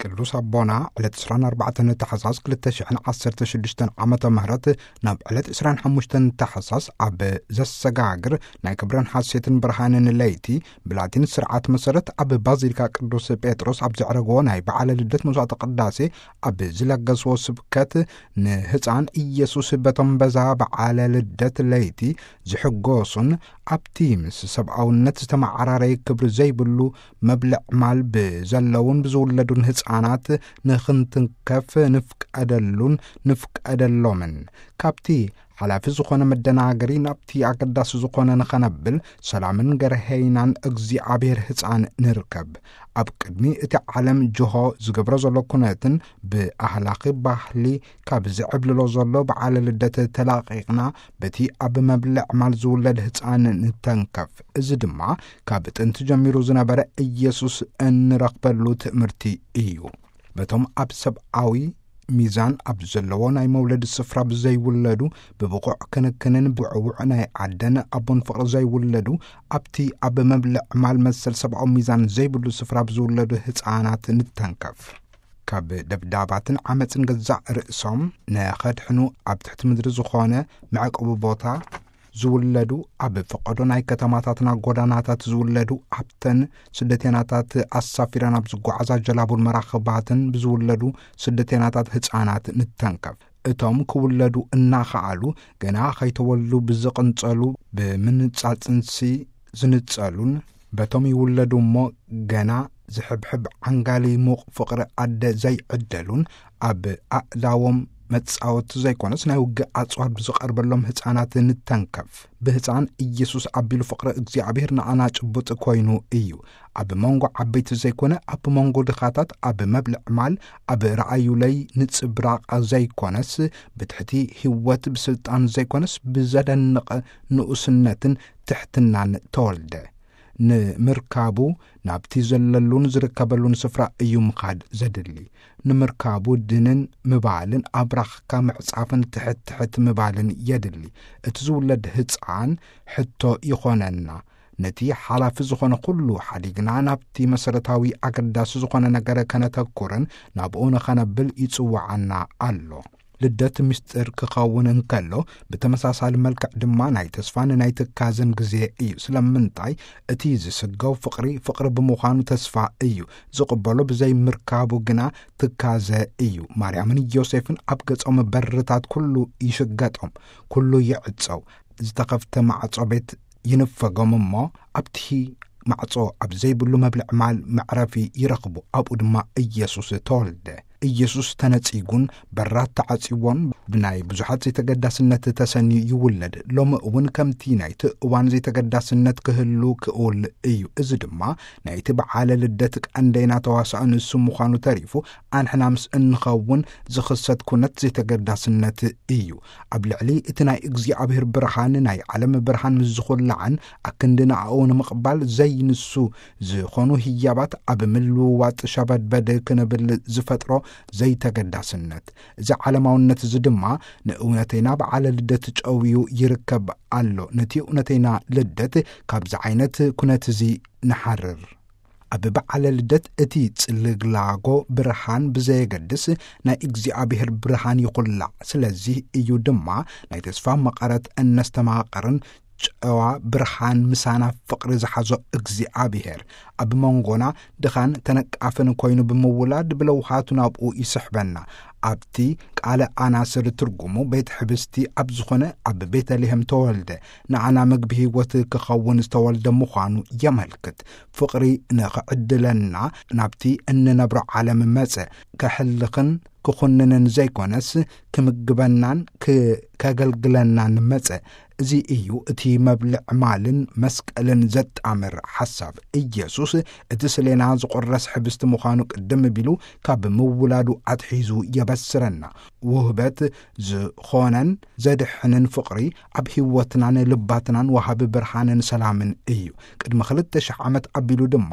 ቅዱስ ኣቦና ዕለት ዕስራን ኣርባዕተን ታሕሳስ ክልተ ሽሕን ዓሰርተ ሽዱሽተን ዓመተ ምህረት ናብ ዕለት ዕስራን ሓሙሽተን ታሕሳስ ኣብ ዘሰጋግር ናይ ክብረን ሓሴትን ብርሃንን ለይቲ ብላቲን ስርዓት መሰረት ኣብ ባዚሊካ ቅዱስ ጴጥሮስ ኣብ ዘዕረግዎ ናይ በዓለ ልደት መስዋዕተ ቅዳሴ ኣብ ዝለገስዎ ስብከት፣ ንህፃን ኢየሱስ በቶም በዛ በዓለ ልደት ለይቲ ዝሕጎሱን ኣብቲ ምስ ሰብኣውነት ዝተመዓራረየ ክብሪ ዘይብሉ መብልዕ ማል ብዘለውን ብዝውለዱን ህፃናት ንኽንትንከፍ ንፍቀደሉን ንፍቀደሎምን። ካብቲ ሓላፊ ዝኾነ መደናገሪ ናብቲ ኣገዳሲ ዝኾነ ንኸነብል ሰላምን ገርሄይናን እግዚኣብሔር ህፃን ንርከብ። ኣብ ቅድሚ እቲ ዓለም ጅሆ ዝገብሮ ዘሎ ኩነትን ብኣህላኺ ባህሊ ካብ ዝዕብልሎ ዘሎ በዓለ ልደት ተላቒቕና በቲ ኣብ መብልዕ ማል ዝውለድ ህፃን ንተንከፍ። እዚ ድማ ካብ ጥንቲ ጀሚሩ ዝነበረ ኢየሱስ እንረኽበሉ ትእምርቲ እዩ። በቶም ኣብ ሰብኣዊ ሚዛን ኣብ ዘለዎ ናይ መውለድ ስፍራ ብዘይውለዱ፣ ብብቑዕ ክንክንን ብዕዉዕ ናይ ዓደን ኣቦን ፍቕሪ ዘይውለዱ፣ ኣብቲ ኣብ መብልዕ ማል መሰል ሰብኣዊ ሚዛን ዘይብሉ ስፍራ ብዝውለዱ ህፃናት ንተንከፍ። ካብ ደብዳባትን ዓመፅን ገዛእ ርእሶም ንኸድሕኑ ኣብ ትሕቲ ምድሪ ዝኾነ መዕቆቢ ቦታ ዝውለዱ፣ ኣብ ፈቐዶ ናይ ከተማታትና ጎዳናታት ዝውለዱ፣ ኣብተን ስደተናታት ኣሳፊረን ኣብ ዝጓዓዛ ጀላቡን መራኽባትን ብዝውለዱ ስደተናታት ህፃናት ንተንከፍ። እቶም ክውለዱ እናኸኣሉ ገና ከይተወልዱ ብዝቕንጸሉ፣ ብምንጻጽንሲ ዝንጸሉን፣ በቶም ይውለዱ እሞ ገና ዝሕብሕብ ዓንጋሊ ሙቕ ፍቕሪ ኣደ ዘይዕደሉን፣ ኣብ ኣእዳዎም መጻወቲ ዘይኮነስ ናይ ውግእ ኣጽዋር ብዝቐርበሎም ህጻናት ንተንከፍ። ብህጻን ኢየሱስ ኣቢሉ ፍቕሪ እግዚኣብሔር ንኣና ጭቡጥ ኮይኑ እዩ። ኣብ መንጎ ዓበይቲ ዘይኮነ፣ ኣብ መንጎ ድኻታት ኣብ መብልዕ ማል፣ ኣብ ረኣዩለይ ንጽብራቕ ዘይኮነስ፣ ብትሕቲ ህይወት ብስልጣን ዘይኮነስ፣ ብዘደንቕ ንኡስነትን ትሕትናን ተወልደ። ንምርካቡ ናብቲ ዘለሉን ዝርከበሉን ስፍራ እዩ ምኻድ ዘድሊ። ንምርካቡ ድንን ምባልን ኣብራኽካ ምዕጻፍን ትሕት ትሕት ምባልን የድሊ። እቲ ዝውለድ ህጻን ሕቶ ይኾነና። ነቲ ሓላፊ ዝኾነ ኩሉ ሓዲግና ናብቲ መሰረታዊ ኣገዳሲ ዝኾነ ነገር ከነተኩርን ናብኡ ንኸነብል ይጽውዓና ኣሎ። ልደት ምስጢር ክኸውን እንከሎ፣ ብተመሳሳሊ መልክዕ ድማ ናይ ተስፋን ናይ ትካዘን ግዜ እዩ። ስለምንታይ? እቲ ዝስገው ፍቕሪ፣ ፍቕሪ ብምዃኑ ተስፋ እዩ። ዝቕበሎ ብዘይምርካቡ ግና ትካዘ እዩ። ማርያምን ዮሴፍን ኣብ ገጾም በርታት ኩሉ ይሽገጦም፣ ኩሉ ይዕጸው። ዝተኸፍተ ማዕጾ ቤት ይንፈጎም እሞ፣ ኣብቲ ማዕጾ ኣብ ዘይብሉ መብልዕ ማል መዕረፊ ይረኽቡ። ኣብኡ ድማ ኢየሱስ ተወልደ። ኢየሱስ ተነጺጉን በራት ተዓጽዎን ብናይ ብዙሓት ዘይተገዳስነት ተሰንዩ ይውለድ። ሎሚ እውን ከምቲ ናይቲ እዋን ዘይተገዳስነት ክህሉ ክእል እዩ። እዚ ድማ ናይቲ በዓለ ልደት ቀንደይና ተዋሳኦ ንሱ ምዃኑ ተሪፉ፣ ኣንሕና ምስ እንኸውን ዝኽሰት ኩነት ዘይተገዳስነት እዩ። ኣብ ልዕሊ እቲ ናይ እግዚኣብሔር ብርሃን፣ ናይ ዓለም ብርሃን ምስ ዝኹላዕን ኣክንዲ ንኣኡ ንምቕባል ዘይንሱ ዝኾኑ ህያባት ኣብ ምልውዋጥ ሸበድበድ ክንብል ዝፈጥሮ ዘይተገዳስነት። እዚ ዓለማውነት እዚ ድማ ንእውነተይና በዓለ ልደት ጨውዩ ይርከብ ኣሎ። ነቲ እውነተይና ልደት ካብዚ ዓይነት ኩነት እዚ ንሓርር። ኣብ በዓለ ልደት እቲ ጽልግላጎ ብርሃን ብዘየገድስ ናይ እግዚኣብሔር ብርሃን ይኹላዕ። ስለዚ እዩ ድማ ናይ ተስፋ መቐረት እነስተማቕርን ጨዋ ብርሃን ምሳና ፍቕሪ ዝሓዞ እግዚኣብሔር ኣብ መንጎና ድኻን ተነቃፍን ኮይኑ ብምውላድ ብለውሃቱ ናብኡ ይስሕበና። ኣብቲ ቃለ ኣናስር ትርጉሙ ቤት ሕብስቲ ኣብ ዝኾነ ኣብ ቤተልሔም ተወልደ፣ ንዓና ምግቢ ህይወት ክኸውን ዝተወልደ ምዃኑ የመልክት። ፍቕሪ ንኽዕድለና ናብቲ እንነብሮ ዓለም መጸ። ከሕልኽን ክኹንንን ዘይኮነስ ክምግበናን ክ-፣ ከገልግለናን መጸ። እዚ እዩ እቲ መብልዕ ማልን መስቀልን ዘጣምር ሓሳብ። ኢየሱስ እቲ ስሌና ዝቑረስ ሕብስቲ ምዃኑ ቅድም ቢሉ ካብ ምውላዱ ኣትሒዙ የበስረና። ውህበት ዝኾነን ዘድሕንን ፍቕሪ ኣብ ህይወትናን ልባትናን ወሃቢ ብርሃንን ሰላምን እዩ። ቅድሚ ክልተ ሽሕ ዓመት ኣቢሉ ድማ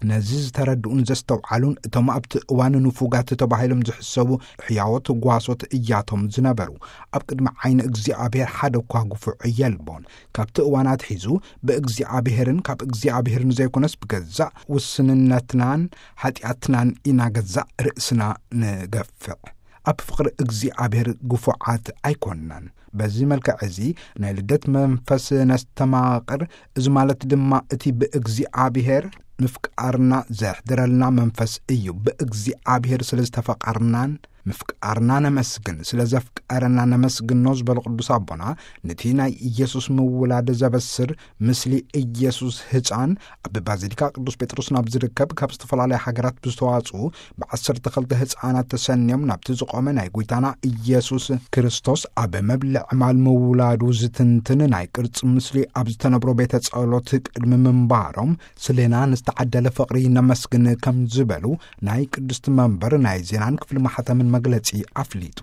ነዚ ዝተረድኡን ዘስተውዓሉን እቶም ኣብቲ እዋን ንፉጋት ተባሂሎም ዝሕሰቡ ሕያዎት ጓሶት እያቶም ዝነበሩ። ኣብ ቅድሚ ዓይኒ እግዚኣብሔር ሓደ እኳ ግፉዕ የልቦን። ካብቲ እዋን ኣትሒዙ ብእግዚኣብሔርን ካብ እግዚኣብሔር ንዘይኮነስ ብገዛእ ውስንነትናን ሓጢኣትናን ኢና ገዛእ ርእስና ንገፍዕ። ኣብ ፍቕሪ እግዚኣብሔር ግፉዓት ኣይኮንናን። በዚ መልክዕ እዚ ናይ ልደት መንፈስ ነስተማቕር። እዚ ማለት ድማ እቲ ብእግዚኣብሔር ምፍቃርና ዘሕድረልና መንፈስ እዩ። ብእግዚኣብሔር ስለ ዝተፈቃርናን ምፍቃርና ነመስግን፣ ስለ ዘፍቀረና ነመስግኖ ዝበሉ ቅዱስ ኣቦና፣ ነቲ ናይ ኢየሱስ ምውላድ ዘበስር ምስሊ ኢየሱስ ህፃን ኣብ ባዚሊካ ቅዱስ ጴጥሮስ ናብ ዝርከብ ካብ ዝተፈላለያ ሃገራት ብዝተዋፅኡ ብዓሰርተ ክልተ ህፃናት ተሰንዮም ናብቲ ዝቆመ ናይ ጎይታና ኢየሱስ ክርስቶስ ኣብ መብልዕ ማል ምውላዱ ዝትንትን ናይ ቅርፂ ምስሊ ኣብ ዝተነብሮ ቤተ ጸሎት ቅድሚ ምንባሮም ስሌና ንዝተዓደለ ፍቕሪ ነመስግን ከም ዝበሉ ናይ ቅድስቲ መንበር ናይ ዜናን ክፍሊ ማሕተምን መግለጺ ኣፍሊጡ።